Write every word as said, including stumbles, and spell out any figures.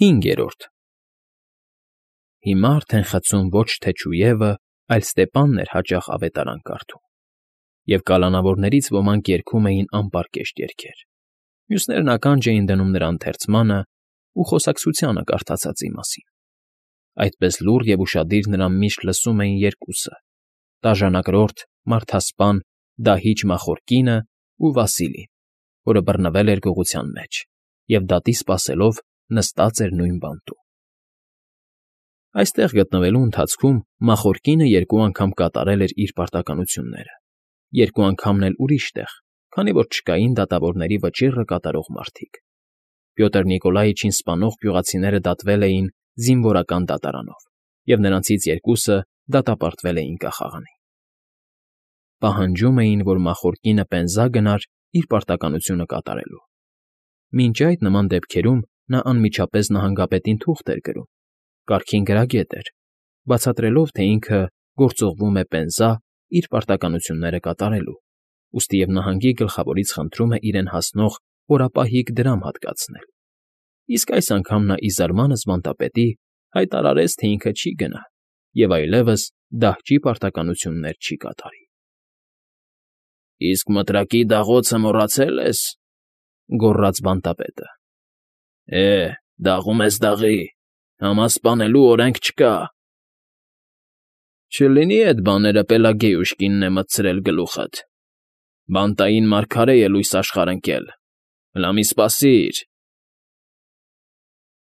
Հինգերորդ Հիմա արդեն խցում ոչ թե չուևը, այլ Ստեպանն էր հաճախ ավետարան կարդում, և կալանավորներից ոմանք երգում էին անպարկեշտ երգեր, մյուսներն ականջ էին դնում նրա ընթերցմանն ու խոսակցությանը կարդացածի մասին. այդպես լուռ և ուշադիր նրան միշտ լսում էին երկուսը՝ տաժանակրորդ, մարդասպան, դահիճ մախորկինն ու Վասիլին, որը բռնվել էր գողության մեջ և դատի սպասելով նստած էր նույն բանտում։ Այստեղ գտնվելու ընթացքում մախորկինը երկու անգամ կատարել էր իր պարտականությունները, երկու անգամն էլ ուրիշ տեղ, քանի որ չկային դատավորների վճիռը կատարող մարդիկ։ Պյոտր Նիկոլաիչին սպանող գյուղացիները դատվել էին զինվորական դատարանով, և նրանցից երկուսը դատապարտվել էին կախաղանի։ Պահանջում էին, որ մախորկինը պենզա գնար իր պարտականությունը կատարելու։ Մինչ այդ նման դեպքերում նա անմիջապես նահանգապետին թուղթ էր գրում, կարգին գրագետ էր, բացատրելով, թե ինքը գործուղվում է պենզա իր պարտականությունները կատարելու, ուստի և նահանգի գլխավորից խնդրում է իրեն հասնող օրապահիկ դրամ հատկացնել, իսկ այս անգամ նա ի զարմանս բանտապետի հայտարարեց, թե ինքը չի գնա և այլևս դահճի պարտականություններ չի կատարի։ ֊ Իսկ մտրակի դաղոցը մոռացե՞լ ես,֊ գոռաց բանտապետը։ ֊ Է, դաղում ես դաղի, համասպանելու օրենք չկա։ ֊ Չլինի էդ բաները Պելագեյուս կինն է մտցրել գլուխդ, բանտային մարգարե է լույս աշխարհ ընկել, հլա մի սպասիր։